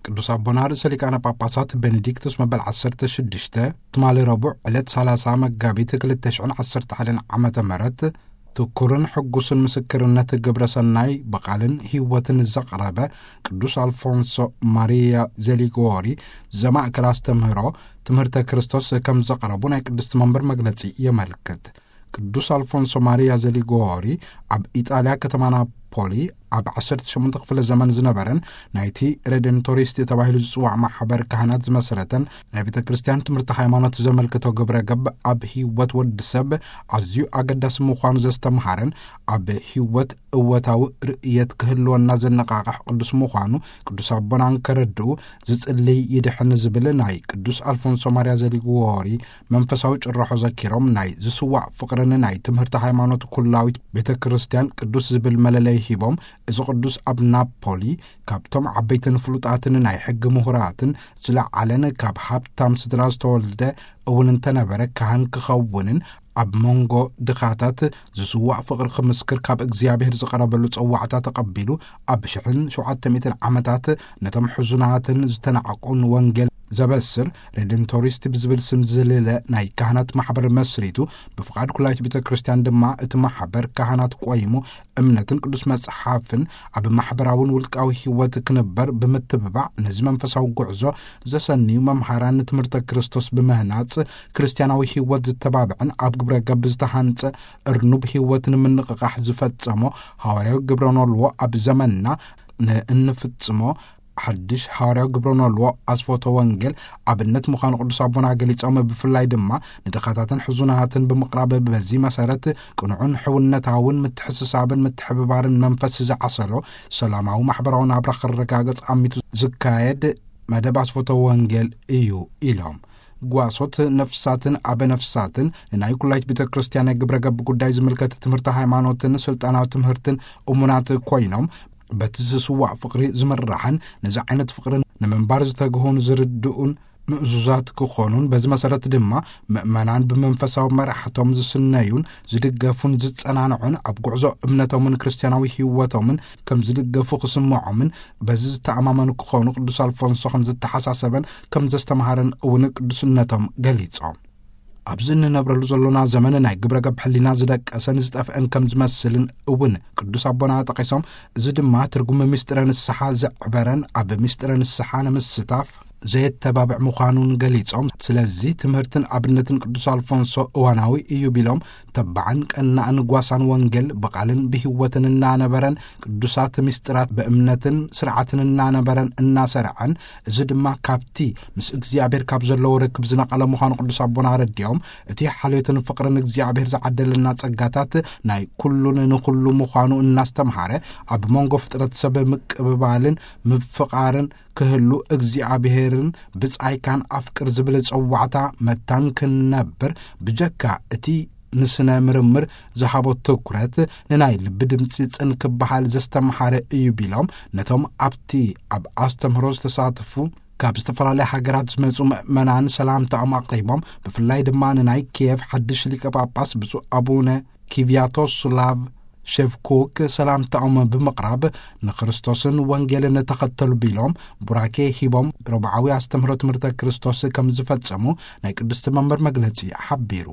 ቅዱስ ኣቦና ርእሰ ሊቃነ ጳጳሳት ቤኔዲክቶስ መበል ዓሰርተ ሽዱሽተ ትማሊ ረቡዕ ዕለት ሰላሳ መጋቢት ክልተ ሽሕን ዓሰርተ ሓደን ዓመተ ምህረት ትኩርን ሕጉስን ምስክርነት ግብረ ሰናይ ብቓልን ህይወትን ዘቕረበ ቅዱስ ኣልፎንሶ ማሪያ ዘሊጎሪ ዘማእከል ኣስተምህሮ ትምህርተ ክርስቶስ ከም ዘቕረቡ ናይ ቅድስቲ መንበር መግለጺ የመልክት። ቅዱስ ኣልፎንሶ ማሪያ ዘሊጎሪ ኣብ ኢጣልያ ከተማ ናፖሊ ኣብ ዓሰርተ ሸሞንተ ክፍለ ዘመን ዝነበረን ናይቲ ሬደንቶሪስት ተባሂሉ ዝጽዋዕ ማሕበር ካህናት ዝመሰረተን ናይ ቤተ ክርስቲያን ትምህርቲ ሃይማኖት ዘመልክቶ ግብረ ገብ ኣብ ህይወት ወዲ ሰብ ኣዝዩ ኣገዳሲ ምዃኑ ዘስተምሃረን ኣብ ህይወት እወታዊ ርእየት ክህልወና ዘነቓቕሕ ቅዱስ ምዃኑ ቅዱስ ኣቦና እንከረድኡ ዝጽልይ ይድሕን ዝብል ናይ ቅዱስ ኣልፎንሶ ማሪያ ዘሊጎሪ መንፈሳዊ ጭርሖ ዘኪሮም ናይ ዝስዋዕ ፍቕርን ናይ ትምህርቲ ሃይማኖት ኩላዊት ቤተ ክርስቲያን ቅዱስ ዝብል መለለይ ሂቦም እዚ ቅዱስ ኣብ ናፖሊ ካብቶም ዓበይትን ፍሉጣትን ናይ ሕጊ ምሁራትን ዝለዓለን ካብ ሃብታም ስድራ ዝተወልደ እውን እንተነበረ ካህን ክኸውንን ኣብ መንጎ ድኻታት ዝስዋዕ ፍቕሪ ክምስክር ካብ እግዚኣብሔር ዝቐረበሉ ጸዋዕታ ተቐቢሉ ኣብ ሽሕን ሸውዓተ ሚእትን ዓመታት ነቶም ሕዙናትን ዝተናዕቁን ወንጌል ዘበስር ሬደንቶሪስት ብዝብል ስም ዝልለ ናይ ካህናት ማሕበር መስሪቱ ብፍቓድ ኩላይት ቤተ ክርስቲያን ድማ እቲ ማሕበር ካህናት ቆይሙ እምነትን ቅዱስ መጽሓፍን ኣብ ማሕበራውን ውልቃዊ ህይወት ክንበር ብምትብባዕ ነዚ መንፈሳዊ ጉዕዞ ዘሰንዩ መምሃራን ትምህርተ ክርስቶስ ብምህናጽ ክርስቲያናዊ ህይወት ዝተባብዕን ኣብ ግብረ ገብ ዝተሃንጸ እርኑብ ህይወት ንምንቕቓሕ ዝፈጸሞ ሃዋርያዊ ግብረ ኖልዎ ኣብ ዘመንና ንእንፍጽሞ ሓድሽ ሃዋርያዊ ግብረ ኖልዎ ኣስፎቶ ወንጌል ኣብነት ምዃኑ ቅዱስ ኣቦና ገሊጾም ብፍላይ ድማ ንድኻታትን ሕዙናትን ብምቕራብ በዚ መሰረት ቅኑዕን ሕውነታውን ምትሕስሳብን ምትሕብባርን መንፈስ ዝዓሰሎ ሰላማዊ ማሕበራዊ ናብራ ክረጋገጽ ኣሚቱ ዝካየድ መደብ ኣስፎቶ ወንጌል እዩ ኢሎም። ጓሶት ነፍሳትን ኣበ ነፍሳትን ንናይ ኩላይት ቤተ ክርስቲያን ናይ ግብረ ገብ ጉዳይ ዝምልከት ትምህርቲ ሃይማኖትን ስልጣናዊ ትምህርትን እሙናት ኮይኖም በቲ ዝስዋዕ ፍቕሪ ዝምራሕን ነዚ ዓይነት ፍቕርን ንምንባር ዝተግሁን ዝርድኡን ምእዙዛት ክኾኑን በዚ መሰረት ድማ ምእመናን ብመንፈሳዊ መራሕቶም ዝስነዩን ዝድገፉን ዝጸናንዑን ኣብ ጉዕዞ እምነቶምን ክርስቲያናዊ ህይወቶምን ከም ዝድገፉ ክስምዖምን በዚ ዝተኣማመኑ ክኾኑ ቅዱስ ኣልፎንሶ ከም ዝተሓሳሰበን ከም ዘስተምሃረን እውን ቅዱስነቶም ገሊጾም። ኣብዚ እንነብረሉ ዘሎና ዘመን ናይ ግብረ ገብ ሕሊና ዝደቀሰን ዝጠፍአን ከም ዝመስልን እውን ቅዱስ ኣቦና ጠቒሶም፣ እዚ ድማ ትርጉም ምስጢረ ንስሓ ዘዕበረን ኣብ ምስጢረ ንስሓ ንምስታፍ ዘየተባብዕ ምዃኑን ገሊጾም፣ ስለዚ ትምህርትን ኣብነትን ቅዱስ ኣልፎንሶ እዋናዊ እዩ ቢሎም፣ ተባዕን ቀናእን ጓሳን ወንጌል ብቓልን ብህይወትን እናነበረን ቅዱሳት ምስጢራት ብእምነትን ስርዓትን እናነበረን እናሰርዐን እዚ ድማ ካብቲ ምስ እግዚኣብሔር ካብ ዘለዎ ርክብ ዝነቐለ ምዃኑ ቅዱስ ኣቦና ኣረዲኦም፣ እቲ ሓልዮትን ፍቕርን እግዚኣብሔር ዝዓደለና ጸጋታት ናይ ኩሉን ንኹሉ ምዃኑ እናስተምሃረ ኣብ መንጎ ፍጥረት ሰብ ምቅብባልን ምፍቓርን ክህሉ እግዚኣብሔርን ብጻይካን ኣፍቅር ዝብል ጸዋዕታ መታን ክንነብር ብጀካ እቲ ንስነ ምርምር ዝሃቦ ትኩረት ንናይ ልቢ ድምፂ ጽን ክበሃል ዘስተምሃረ እዩ ቢሎም ነቶም ኣብቲ ኣብ ኣስተምህሮ ዝተሳተፉ ካብ ዝተፈላለያ ሃገራት ዝመጹ ምእመናን ሰላምታኦም ኣቕሪቦም ብፍላይ ድማ ንናይ ኪየቭ ሓድሽ ሊቀ ጳጳስ ብፁዕ ኣቡነ ኪቪያቶስላቭ ሸቭኩክ ሰላምታኦም ብምቕራብ ንክርስቶስን ወንጌልን ተኸተሉ ቢሎም ቡራኬ ሂቦም ረብዓዊ ኣስተምህሮ ትምህርተ ክርስቶስ ከም ዝፈጸሙ ናይ ቅድስቲ መንበር መግለጺ ሓቢሩ።